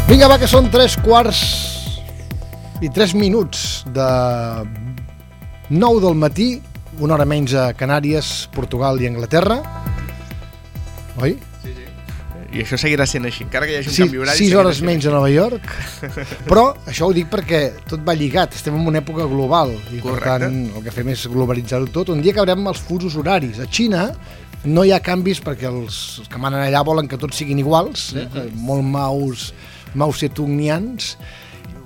Vinga, va, que són 3:03 de 9 del matí, una hora menys a Canàries, Portugal i Anglaterra. Oi? Sí, sí. I això seguirà sent així, encara que hi hagi un canvi horari. 6 hores menys a Nova York. Però això ho dic perquè tot va lligat, estem en una època global i correcte. Per tant el que fem és globalitzar-ho tot. Un dia acabarem els fusos horaris. A Xina no hi ha canvis perquè els que manen allà volen que tots siguin iguals, molt Mao Zedongians,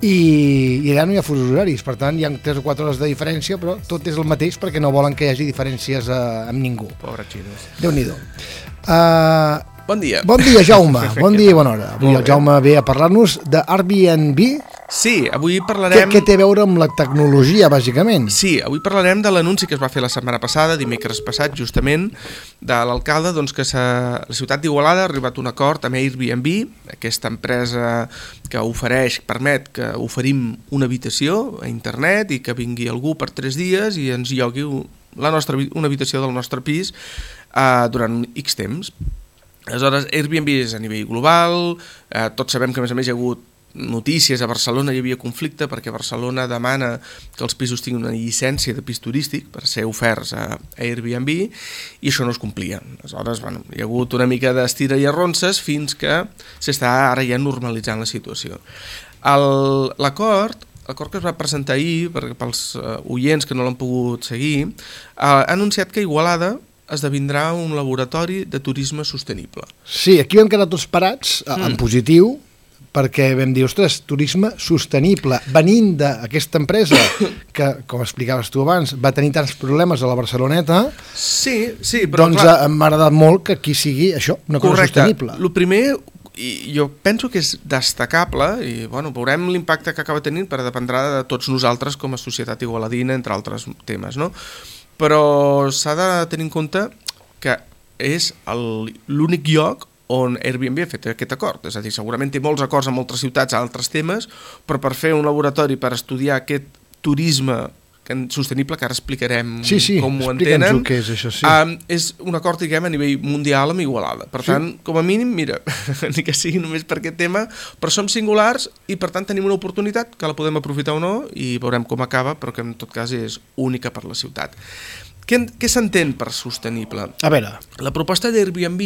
i allà no hi ha fusos horaris, per tant hi ha 3 o 4 hores de diferència, però tot és el mateix perquè no volen que hi hagi diferències amb ningú. Pobre xinos. Déu-n'hi-do. Bon dia. Bon dia, Jaume. Bon dia i bona hora. Avui el Jaume ve a parlar-nos de Airbnb. Sí, avui parlarem... Què té a veure amb la tecnologia, bàsicament? Sí, avui parlarem de l'anunci que es va fer la setmana passada, dimecres passat, justament, de l'alcalde, doncs, que la ciutat d'Igualada ha arribat a un acord amb Airbnb, aquesta empresa que permet que oferim una habitació a internet i que vingui algú per 3 dies i ens llogui una habitació del nostre pis durant X temps. Aleshores, Airbnb és a nivell global, tots sabem que a més hi ha hagut notícies, a Barcelona hi havia conflicte perquè Barcelona demana que els pisos tinguin una llicència de pis turístic per ser oferts a Airbnb i això no es complia. Aleshores, hi ha hagut una mica d'estira i arronses fins que s'està ara ja normalitzant la situació. L'acord que es va presentar ahir, pels oients que no l'han pogut seguir, ha anunciat que Igualada esdevindrà un laboratori de turisme sostenible. Sí, aquí vam quedar tots parats, en positiu, perquè vam dir, ostres, turisme sostenible, venint d'aquesta empresa que, com explicaves tu abans, va tenir tants problemes a la Barceloneta, sí, però doncs clar, m'ha agradat molt que aquí sigui això, una cosa sostenible. El primer, jo penso que és destacable, i veurem l'impacte que acaba tenint, però dependrà de tots nosaltres com a societat igualadina, entre altres temes, no? Però s'ha de tenir en compte que és l'únic lloc on Airbnb ha fet aquest acord. És a dir, segurament té molts acords amb altres ciutats, altres temes, però per fer un laboratori per estudiar aquest turisme sostenible, que ara explicarem com ho entenen, què és això, sí. És un acord, diguem, a nivell mundial amb Igualada. Per tant, com a mínim, mira, ni que sigui només per aquest tema, però som singulars i per tant tenim una oportunitat que la podem aprofitar o no i veurem com acaba, però que en tot cas és única per la ciutat. Què s'entén per sostenible? A veure, la proposta d'Airbnb...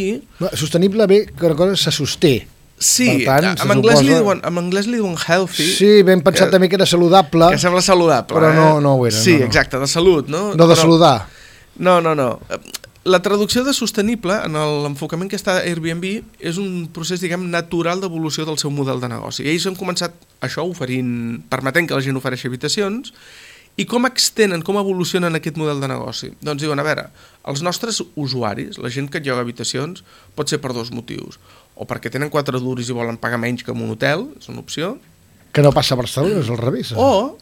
Sostenible ve que una cosa se sosté. Sí, tant, en anglès li diuen healthy. Sí, ben pensat també que era saludable. Que sembla saludable. Però no ho era. Sí, exacte, de salut, no? No de saludar. No. La traducció de sostenible, en l'enfocament que està a Airbnb, és un procés, diguem, natural d'evolució del seu model de negoci. I ells han començat això permetent que la gent ofereixi habitacions. I com extenen, com evolucionen aquest model de negoci? Doncs diuen, a veure, els nostres usuaris, la gent que lloga habitacions, pot ser per 2 motius. O perquè tenen 4 duros i volen pagar menys que en un hotel, és una opció. Que no passa a Barcelona, és al revés. O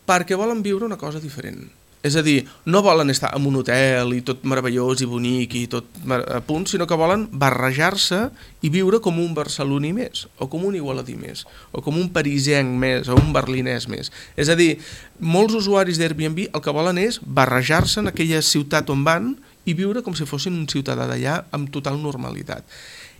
perquè volen viure una cosa diferent. És a dir, no volen estar en un hotel i tot meravellós i bonic i tot a punt, sinó que volen barrejar-se i viure com un barceloní més, o com un igualadí més, o com un parisenc més, o un berlinès més. És a dir, molts usuaris d'Airbnb el que volen és barrejar-se en aquella ciutat on van i viure com si fossin un ciutadà d'allà amb total normalitat.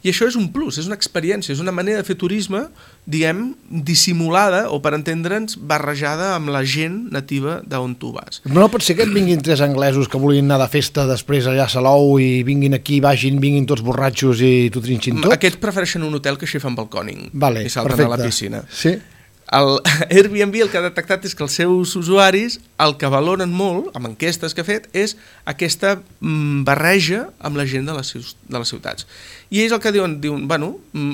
I això és un plus, és una experiència, és una manera de fer turisme, diguem, dissimulada, o per entendre'ns, barrejada amb la gent nativa d'on tu vas. No pot ser que et vinguin 3 anglesos que vulguin anar de festa després allà a Salou i vinguin aquí, vinguin tots borratxos i t'ho trinxin tot? Aquests prefereixen un hotel que així fan balcòning i salten perfecte. A la piscina. Sí. El Airbnb el que ha detectat és que els seus usuaris el que valoren molt, amb enquestes que ha fet, és aquesta barreja amb la gent de les ciutats. I ells el que diuen,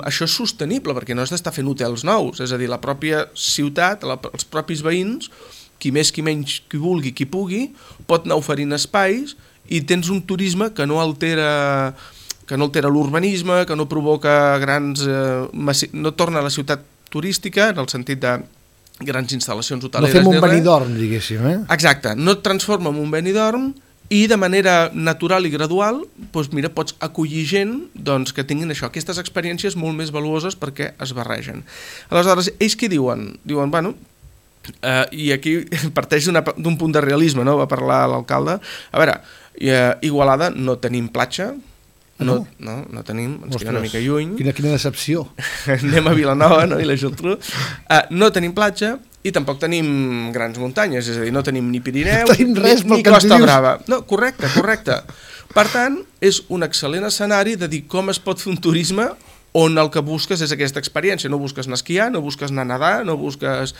això és sostenible perquè no has d'estar fent hotels nous, és a dir, la pròpia ciutat, els propis veïns, qui més, qui menys, qui vulgui, qui pugui, pot anar oferint espais i tens un turisme que no altera l'urbanisme, que no provoca no torna a la ciutat turística, en el sentit de grans instal·lacions hoteleres. No fem un Benidorm, diguéssim, Exacte, no et transforma en un Benidorm i de manera natural i gradual pots acollir gent que tinguin això, aquestes experiències molt més valuoses perquè es barregen. Aleshores, ells què diuen? Diuen, i aquí parteix d'un punt de realisme, no? Va parlar l'alcalde. A veure, Igualada no tenim platja, No tenim, ens queda una mica lluny. Quina decepció. Anem a Vilanova, no? I la Geltrú. No tenim platja i tampoc tenim grans muntanyes, és a dir, no tenim ni Pirineu, ni Costa Brava. No, correcte. Per tant, és un excel·lent escenari de dir com es pot fer un turisme on el que busques és aquesta experiència. No busques anar a esquiar, no busques anar a nedar, no busques...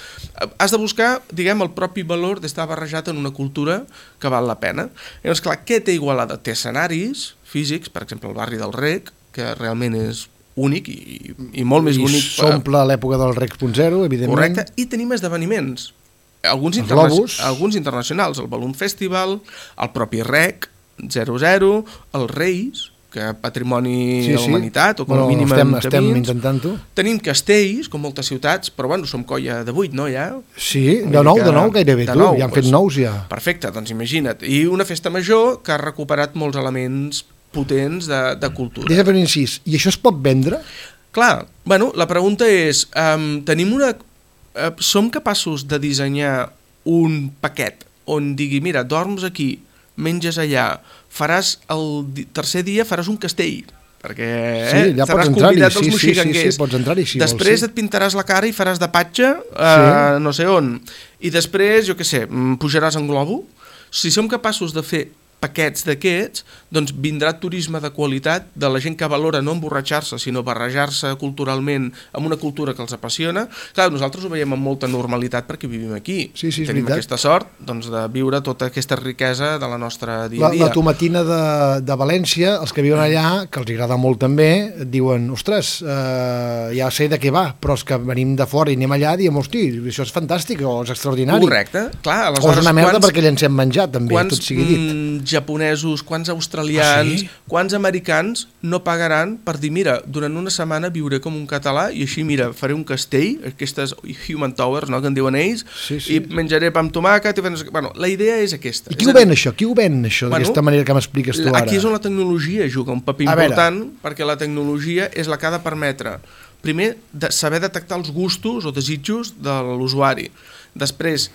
Has de buscar, diguem, el propi valor d'estar barrejat en una cultura que val la pena. Llavors, clar, què té Igualada? Té escenaris físics, per exemple, el barri del Rec, que realment és únic i molt més bonic. I s'omple l'època del Rec.0, evidentment. Correcte, i tenim esdeveniments. Alguns internacionals, el Balloon Festival, el propi Rec, 00, els Reis, que patrimoni de la humanitat, o com a mínim estem intentant-ho. Tenim castells, com moltes ciutats, però bueno, som colla de 8, no, ja? Sí, de nou gairebé, ja han fet nous ja. Perfecte, doncs imagina't. I una festa major que ha recuperat molts elements potents de cultura. Deixa fer un incís, i això es pot vendre? Clar, bueno, la pregunta és, som capaços de dissenyar un paquet on digui, mira, dorms aquí, menges allà, faràs el tercer dia faràs un castell, perquè ja seràs convidat dels moxiganguers. Sí, pots entrar-hi, si després vols, et pintaràs la cara i faràs de patge no sé on. I després, jo què sé, pujaràs en globo. Si som capaços de fer paquets d'aquests, doncs vindrà turisme de qualitat de la gent que valora no emborratxar-se, sinó barrejar-se culturalment amb una cultura que els apassiona. Clar, nosaltres ho veiem amb molta normalitat perquè vivim aquí. Sí, tenim aquesta sort doncs, de viure tota aquesta riquesa de la nostra dia a dia. La tomatina de València, els que viuen allà, que els agrada molt també, diuen, ostres, ja sé de què va, però els que venim de fora i anem allà diem, hosti, això és fantàstic o és extraordinari. Correcte. Clar, o és una merda perquè llancem menjar, també, tot sigui dit. Japonesos, quants australians, quants americans no pagaran per dir, mira, durant una setmana viuré com un català i així, mira, faré un castell, aquestes Human Towers, no?, que en diuen ells, i menjaré pa amb tomàquet. Bueno, la idea és aquesta. I qui ho ven, això? Qui ho ven, això, d'aquesta manera que m'expliques tu ara? Aquí és on la tecnologia juga un paper important, perquè la tecnologia és la que ha de permetre, primer, saber detectar els gustos o desitjos de l'usuari. Després,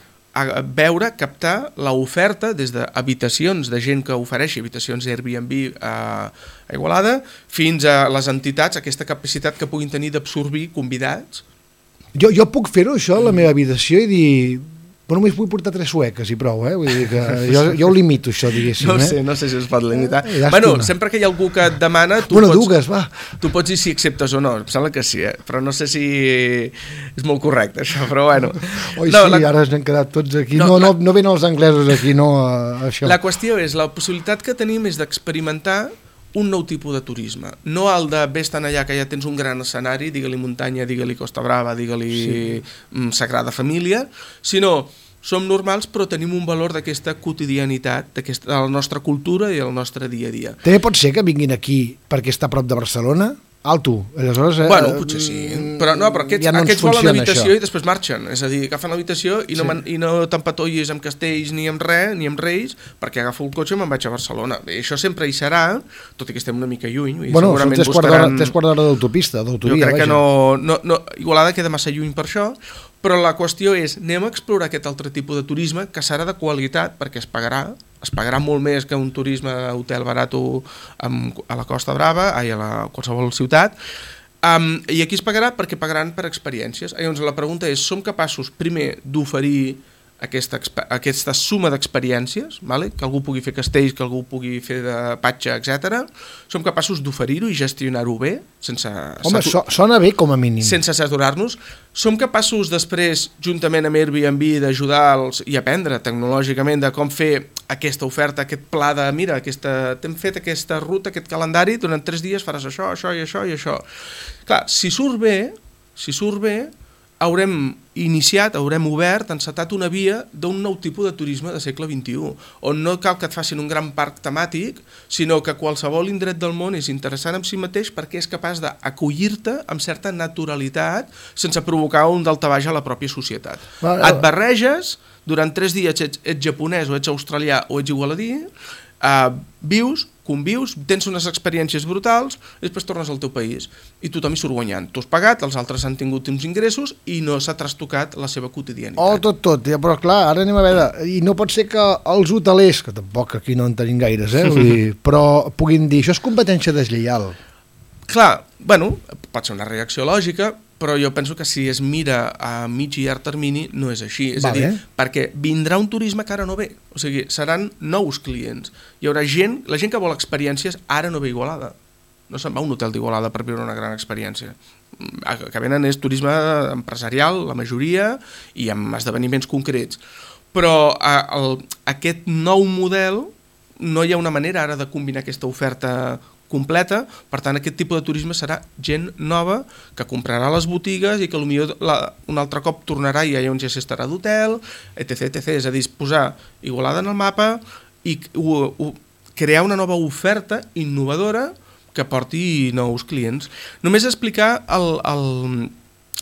veure, captar l'oferta des d'habitacions de gent que ofereixi habitacions Airbnb a Igualada fins a les entitats, aquesta capacitat que puguin tenir d'absorbir convidats. Jo puc fer-ho, això, a la meva habitació i dir... Bueno, només vull portar 3 sueques i prou, Vull dir que jo ho limito, això, diguéssim. No sé si es pot limitar. Bueno, sempre que hi ha algú que et demana... Tu pots dir si acceptes o no. Em sembla que sí, però no sé si és molt correcte, això, però bueno. Ara n'hem quedat tots aquí. No venen els anglesos aquí, no això. La qüestió és, la possibilitat que tenim és d'experimentar un nou tipus de turisme, no el de ves tan allà que ja tens un gran escenari, digue-li muntanya, digue-li Costa Brava, digue-li Sagrada Família, sinó som normals però tenim un valor d'aquesta quotidianitat, de la nostra cultura i el nostre dia a dia. També pot ser que vinguin aquí perquè està a prop de Barcelona? Alto, aleshores... Bueno, potser sí, però aquests volen l'habitació i després marxen, és a dir, agafen l'habitació i no t'empatollis amb castells ni amb res, ni amb reis, perquè agafo el cotxe i me'n vaig a Barcelona. Bé, això sempre hi serà, tot i que estem una mica lluny. Bueno, són 3 quarts d'hora d'autopista, d'autovia. Jo crec que no, Igualada queda massa lluny per això, però la qüestió és, anem a explorar aquest altre tipus de turisme que serà de qualitat perquè es pagarà molt més que un turisme hotel barat a la Costa Brava, a qualsevol ciutat, i aquí es pagarà perquè pagaran per experiències. Llavors la pregunta és, som capaços primer d'oferir aquesta suma d'experiències, que algú pugui fer castells, que algú pugui fer de patge, etc. Som capaços d'oferir-ho i gestionar-ho bé, sense... Home, sona bé com a mínim. Sense saturar-nos. Som capaços després, juntament amb Airbnb, d'ajudar-los i aprendre tecnològicament de com fer aquesta oferta, aquest pla de, mira, t'hem fet aquesta ruta, aquest calendari, durant 3 dies faràs això, això i això i això. Clar, si surt bé, haurem obert, encetat una via d'un nou tipus de turisme de segle XXI, on no cal que et facin un gran parc temàtic, sinó que qualsevol indret del món és interessant en si mateix perquè és capaç d'acollir-te amb certa naturalitat sense provocar un daltabaix a la pròpia societat. Et barreges, durant 3 dies ets japonès o ets australià o ets igualadí, vius, convius, tens unes experiències brutals i després tornes al teu país i tothom hi surt guanyant. Tu has pagat, els altres han tingut uns ingressos i no s'ha trastocat la seva quotidianitat. Tot, ja, però clar, ara anem a veure, i no pot ser que els hotelers, que tampoc aquí no en tenim gaires, vull dir, però puguin dir, això és competència deslleial. Clar, bueno, pot ser una reacció lògica, però jo penso que si es mira a mig i llarg termini no és així, és a dir, perquè vindrà un turisme que ara no ve, o sigui, seran nous clients, hi haurà gent, la gent que vol experiències ara no ve a Igualada, no se'n va a un hotel d'Igualada per viure una gran experiència, que venen és turisme empresarial, la majoria, i amb esdeveniments concrets, però aquest nou model no hi ha una manera ara de combinar aquesta oferta completa, per tant aquest tipus de turisme serà gent nova que comprarà les botigues i que potser un altre cop tornarà i allà on ja s'estarà d'hotel, etc. És a dir, posar Igualada en el mapa i crear una nova oferta innovadora que porti nous clients. Només explicar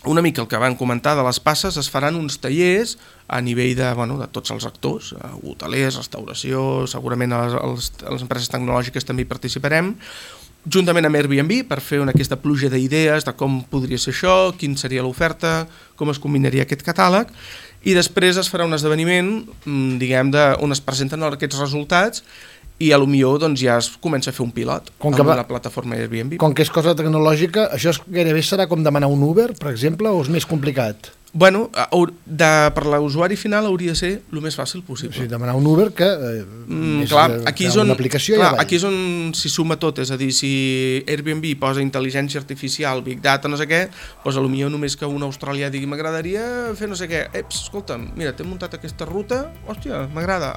una mica el que van comentar de les passes, es faran uns tallers a nivell de tots els actors, hotelers, restauració, segurament a les empreses tecnològiques també hi participarem, juntament amb Airbnb per fer aquesta pluja d'idees de com podria ser això, quin seria l'oferta, com es combinaria aquest catàleg, i després es farà un esdeveniment, diguem, on es presenten aquests resultats i potser ja es comença a fer un pilot amb la plataforma Airbnb. Com que és cosa tecnològica, això gairebé serà com demanar un Uber, per exemple, o és més complicat? Bueno, per l'usuari final hauria de ser el més fàcil possible. O sigui, demanar un Uber que aquí és on s'hi suma tot, és a dir, si Airbnb posa intel·ligència artificial, Big Data, no sé què, doncs potser només que un australià digui m'agradaria fer no sé què, escolta'm, mira, t'he muntat aquesta ruta, hòstia, m'agrada,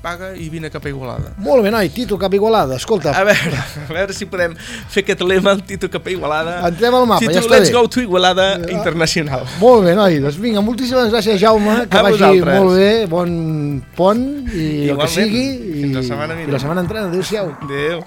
paga i vine cap a Igualada. Molt bé, noi, Tito cap a Igualada, escolta. A veure si podem fer aquest lema, el Tito cap a Igualada. Entrem al mapa, Tito, ja està bé. let's go to Igualada Internacional. Molt bé, noi, doncs vinga, moltíssimes gràcies, Jaume, que vagi molt bé, bon pont i el que sigui. Fins la setmana vinent. I la setmana entrant, adéu-siau. Adéu.